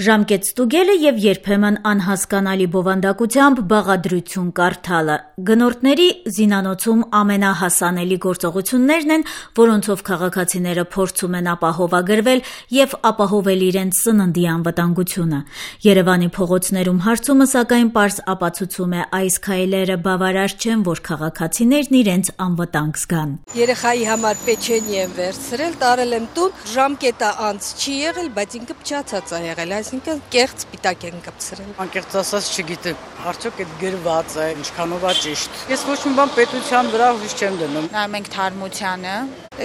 Ժամկետ ստուգելը եւ երբեմն անհասկանալի բովանդակությամբ բաղադրություն կարդալը գնորդների զինանոցում ամենահասանելի գործողություններն են, որոնցով քաղաքացիները փորձում են ապահովագրվել եւ ապահովել իրենց սննդի անվտանգությունը։ Երևանի փողոցներում հարցումը սակայն պարզ ապացուցում է այս քայլերը բավարար չեն, որ քաղաքացիներն իրենց անվտանգ զգան։ Երեխայի համար պեչենի եմ վերցրել, տարել եմ տուն, ժամկետը անց չի եղել, բայց ինքը փչացած է եղել, այսինքն կեղծ սպիտակ են կպցրել։ Անկեղծ ասած չգիտեմ, արդյոք այդ գրված է, ինչքանով է ճիշտ։ Ես ոչ մի բան պետության վրա հույս չեմ դնում։ Նայում ենք թարմությանը։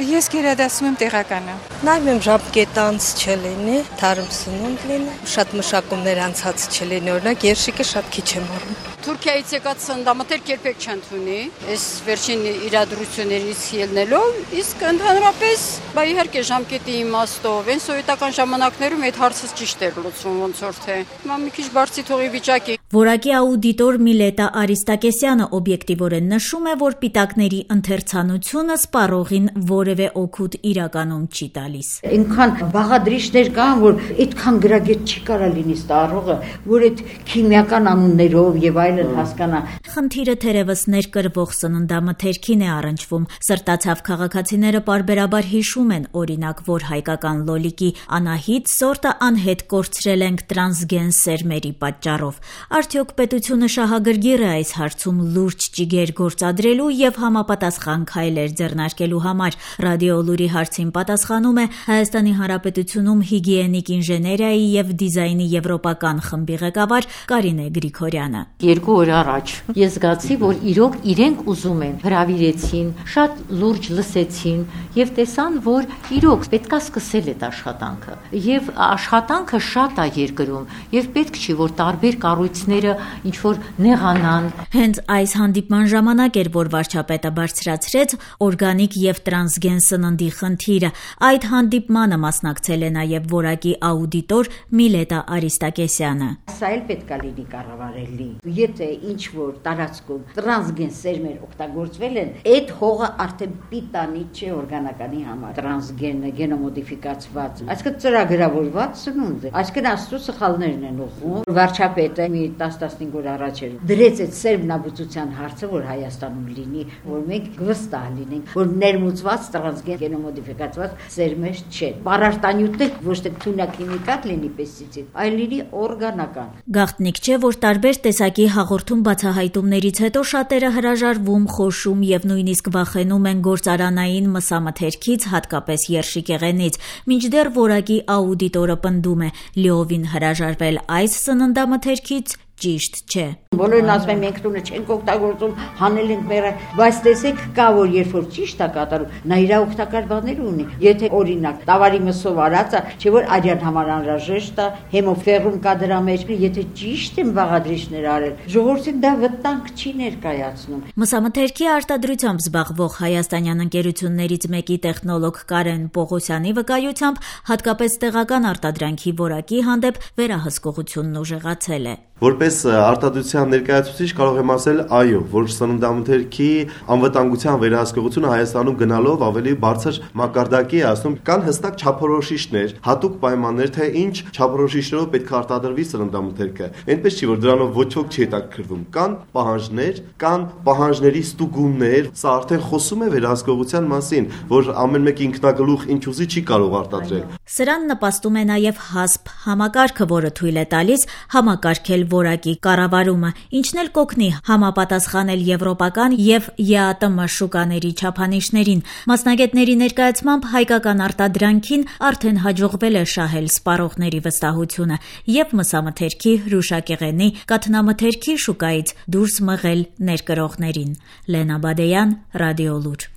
Ես գերադասում եմ տեղականը։ Նայում եմ ժամկետը անց չլինի, թարմ սնունդ լինի, շատ մշակումներ անցած չլինի, օրինակ երշիկը շատ քիչ եմ առնում։ Թուրքիայից եկած սննդամթերք երբեք չեն թունի, այս վերջին իրադրություններից ելնելով, իսկ ընդհանրապես, իհարկե ժամկետի իմաստով, այն սովետական ժամանակներում այդ հարցը ճիշտ էր լուծվում, ոնց որ թե հիմա մի քիչ բարձի թողի վիճակի։ Որակի աուդիտոր Միլետա Արիստակեսյանը օբյեկտիվորեն նշում է, որ պիտակների ընթերցանությունը սպառողին որևէ օգուտ իրականում չի տալիս։ Այնքան բաղադրիչներ կան, որ այդքան գրագետ չի կարա լինի ստառողը, որ այդ քիմիական անուններով եւ այլն հասկանա։ Խնդիրը թերևս ներկրվող սննդամթերքին է առնչվում։ Սրտացավ քաղաքացիները պարբերաբար հիշում են, օրինակ, որ հայկական լոլիկի Անահիտ սորտը անհետ կորցրել ենք տրանսգեն սերմերի պատճառով։ Արդյոք պետությունը շահագրգիռ է այս հարցում լուրջ ճիգեր գործադրելու եւ համապատասխան քայլեր ձեռնարկելու համար։ Ռադիո Լուրի հարցին պատասխանում է Հայաստանի Հանրապետությունում հիգիենիկ ինժեներիայի եւ դիզայնի եվրոպական խմբի ղեկավար Կարինե Գրիգորյանը։ 2 օր առաջ ես զգացի, որ իրոք իրենք ուզում են, հրավիրեցին, շատ լուրջ լսեցին եւ տեսան, որ իրոք պետքա սկսել այդ աշխատանքը։ Եվ աշխատանքը շատ է երկրում եւ պետք չի, որ տարբեր կառույցները ինչ որ նեղանան։ Հենց այս հանդիպման ժամանակ էր, որ վարչապետը բարձրացրեց օրգանիկ եւ տրանսգեն սննդի խնդիրը։ Այդ հանդիպմանը մասնակցել է նաեւ որակի աուդիտոր Միլետա Արիստակեսյանը։ Սա էլ պետքա լինի կառավարելի։ Եթե ինչ որ տարածքում տրանսգեն սերմեր օգտագործվել են, այդ հողը արդեն պիտանի չէ օրգանականի համար։ Տրանսգենը գենոմոդիֆիկացված, այսինքն ծրագրավորված սնունդ է։ Այսինքն աստծո սխալներն են ուղղում։ Վարչապետը մի 10-15 օր առաջ էր դրեց այդ սերմնաբուծության հարցը, որ Հայաստանում լինի, որ մենք վստահ լինենք, որ ներմուծված տրանսգեն գենոմոդիֆիկացված սերմեր չեն։ Պարարտանյութը ոչ թե թունաքիմիկատ լինի պեստիցիդ, այլ լինի օրգանական։ Գաղտնիք չէ, որ տարբեր տեսակի հաղորդում բացահայտումներից հետո շատերը հրաժարվում, խոշում եւ նույնիսկ վախենում են գործարանային մսամթերքից, հատկապես երշիկեղենից, մինչդեռ որակի աուդիտորը պնդում է՝ լիովին հրաժարվել այս սննդամթերքից ճիշտ չէ։ Բոլորն ասում են մենք տունը չենք օգտագործում, հանել ենք մերը, բայց տեսեք կա որ երբ որ ճիշտ է կատարում, նա իր օգտակար բաներ ունի։ Եթե օրինակ տավարի մսով արածը, չէ որ արյան համար անհրաժեշտ է, հեմոֆերում կա դրա մեջ, եթե ճիշտ են բաղադրիչներ արել, ժողովրդին դա վտանգ չի ներկայացնում։ Մսամթերքի արտադրությամբ զբաղվող հայաստանյան ընկերություններից մեկի տեխնոլոգ Կարեն Պողոսյանի վկայությամբ հատկապես տեղական արտադրանքի որակի հանդեպ վերահսկողությունն ուժեղացել է։ Որպես արտադրության ներկայացուցիչ կարող եմ ասել այո, որ սննդամթերքի անվտանգության վերահսկողությունը Հայաստանում գնալով ավելի բարձր մակարդակի է ասում, կան հստակ չափորոշիչներ, հատուկ պայմաններ, թե ինչ չափորոշիչներով պետք է արտադրվի սննդամթերքը։ Այնպես չի, որ դրանով ոչ ոք չի հետաքրքրվում։ Կան պահանջներ, կան պահանջների ստուգումներ, սա արդեն խոսում է վերահսկողության մասին, որ ամեն մեկ ինքնագլուխ ինչ ուզի չի կարող արտադրել։ Սրան նպաստում է նաև HASP համակարգը, որը թույլ է տալիս համակարգել որակի կառավարումը, ինչն էլ կօգնի համապատասխանել եվրոպական եւ ԵԱՏՄ շուկաների չափանիշներին։ Մասնագետների ներկայացմամբ հայկական արտադրանքին արդեն հաջողվել է շահել սպառողների վստահությունը եւ մսամթերքի, հրուշակեղենի, կաթնամթերքի շուկայից դուրս մղել ներկրողներին։ Լենա Բադեյան, Ռադիո Լուր։